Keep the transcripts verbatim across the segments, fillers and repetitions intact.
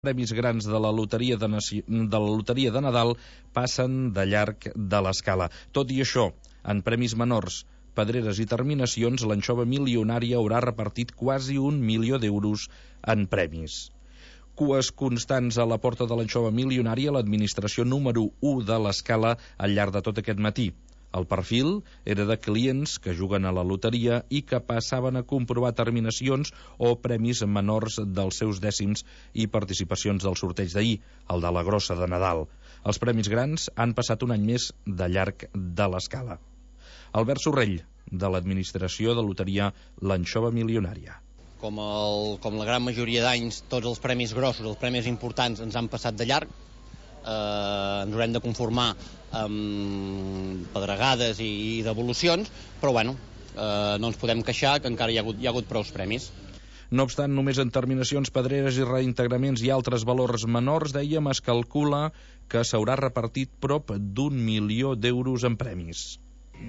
premis grans de la loteria de, Naci... de la loteria de Nadal passen de llarg de l'escala. Tot i això, en premis menors, pedreres i terminacions, l'anxova milionària haurà repartit quasi un milió d'euros en premis. Cues constants a la porta de l'anxova milionària, l'administració número u de l'escala al llarg de tot aquest matí. El perfil era de clients que juguen a la loteria i que passaven a comprovar terminacions o premis menors dels seus dècims i participacions del sorteig d'ahir, el de la grossa de Nadal. Els premis grans han passat un any més de llarg de l'escala. Albert Sorrell, de l'administració de loteria L'Anxova Milionària. Com, el, com la gran majoria d'anys, tots els premis grossos, els premis importants, ens han passat de llarg. Eh, ens haurem de conformar amb pedregades i, i devolucions, però bueno, eh, no ens podem queixar que encara hi ha hagut, hi ha hagut prous premis. No obstant, només en terminacions, pedreres i reintegraments i altres valors menors, dèiem, es calcula que s'haurà repartit prop d'un milió d'euros en premis.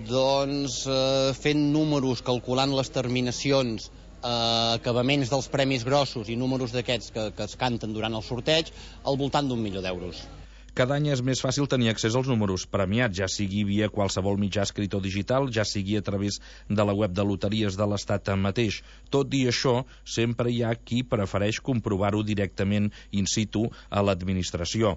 Doncs eh, fent números, calculant les terminacions, eh, acabaments dels premis grossos i números d'aquests que, que es canten durant el sorteig, al voltant d'un milió d'euros. Cada any és més fàcil tenir accés als números premiats, ja sigui via qualsevol mitjà escrit o digital, ja sigui a través de la web de loteries de l'Estat mateix. Tot i això, sempre hi ha qui prefereix comprovar-ho directament in situ a l'administració.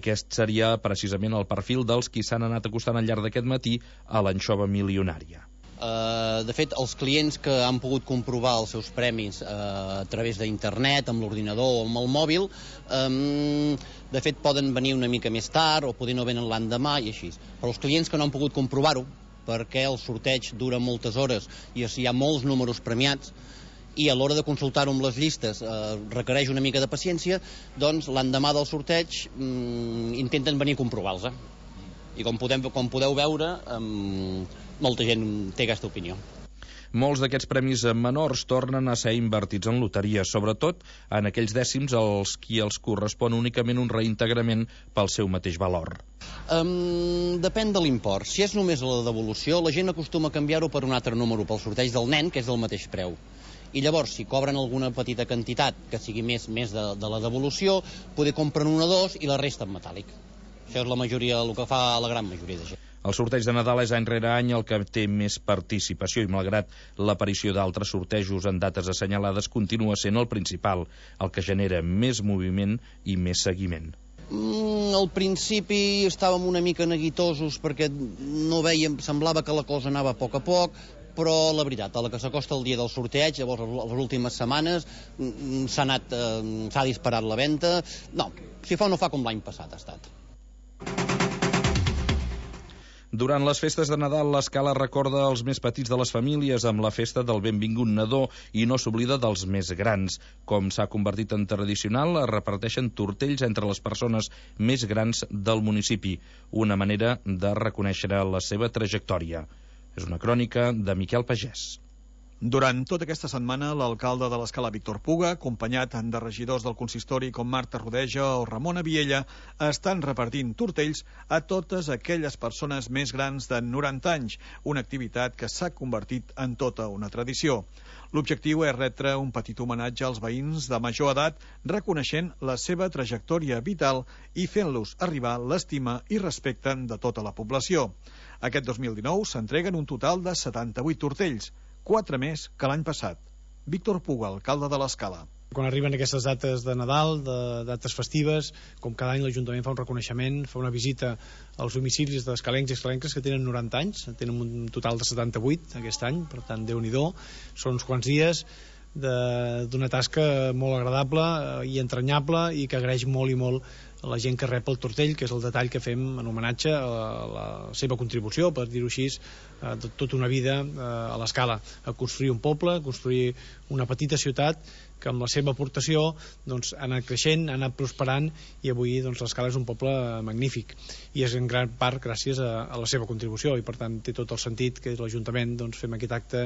Aquest seria precisament el perfil dels qui s'han anat acostant al llarg d'aquest matí a l'anxova milionària. Uh, de fet, els clients que han pogut comprovar els seus premis uh, a través d'internet, amb l'ordinador o amb el mòbil, um, de fet poden venir una mica més tard o poder no venen l'endemà i així. Però els clients que no han pogut comprovar-ho, perquè el sorteig dura moltes hores i hi ha molts números premiats, i a l'hora de consultar-ho amb les llistes eh, requereix una mica de paciència, doncs l'endemà del sorteig mm, intenten venir a comprovar-los. I com, podem, com podeu veure, um, molta gent té aquesta opinió. Molts d'aquests premis menors tornen a ser invertits en loteria, sobretot en aquells dècims als qui els correspon únicament un reintegrament pel seu mateix valor. Um, depèn de l'import. Si és només la devolució, la gent acostuma a canviar-ho per un altre número, pel sorteig del nen, que és del mateix preu. I llavors, si cobren alguna petita quantitat que sigui més, més de, de la devolució, poder compren un o dos i la resta en metàl·lic. Això és la majoria, el que fa la gran majoria de gent. El sorteig de Nadal és any rere any el que té més participació i, malgrat l'aparició d'altres sortejos en dates assenyalades, continua sent el principal, el que genera més moviment i més seguiment. Mm, al principi estàvem una mica neguitosos perquè no vèiem, semblava que la cosa anava a poc a poc, però la veritat, a la que s'acosta el dia del sorteig, llavors les últimes setmanes s'ha anat, eh, s'ha disparat la venda. No, si fa o no fa com l'any passat ha estat. Durant les festes de Nadal, l'escala recorda els més petits de les famílies amb la festa del benvingut nadó i no s'oblida dels més grans. Com s'ha convertit en tradicional, es reparteixen tortells entre les persones més grans del municipi, una manera de reconèixer la seva trajectòria. És una crònica de Miquel Pagès. Durant tota aquesta setmana, l'alcalde de l'Escala, Víctor Puga, acompanyat de regidors del consistori com Marta Rodeja o Ramona Viella, estan repartint tortells a totes aquelles persones més grans de noranta anys, una activitat que s'ha convertit en tota una tradició. L'objectiu és retre un petit homenatge als veïns de major edat, reconeixent la seva trajectòria vital i fent-los arribar l'estima i respecte de tota la població. Aquest dos mil dinou s'entreguen un total de setanta-vuit tortells, quatre més que l'any passat. Víctor Puga, alcalde de l'Escala. Quan arriben aquestes dates de Nadal, de dates festives, com cada any l'Ajuntament fa un reconeixement, fa una visita als domicilis d'escalencs i escalenques que tenen noranta anys, tenen un total de setanta-vuit aquest any, per tant, Déu-n'hi-do, són uns quants dies d'una tasca molt agradable i entranyable i que agraeix molt i molt a la gent que rep el tortell, que és el detall que fem en homenatge a la seva contribució, per dir-ho així, de tota una vida a l'Escala, a construir un poble, a construir una petita ciutat que amb la seva aportació doncs, ha anat creixent, ha anat prosperant i avui doncs, l'Escala és un poble magnífic i és en gran part gràcies a, a la seva contribució i per tant té tot el sentit que l'Ajuntament doncs, fem aquest acte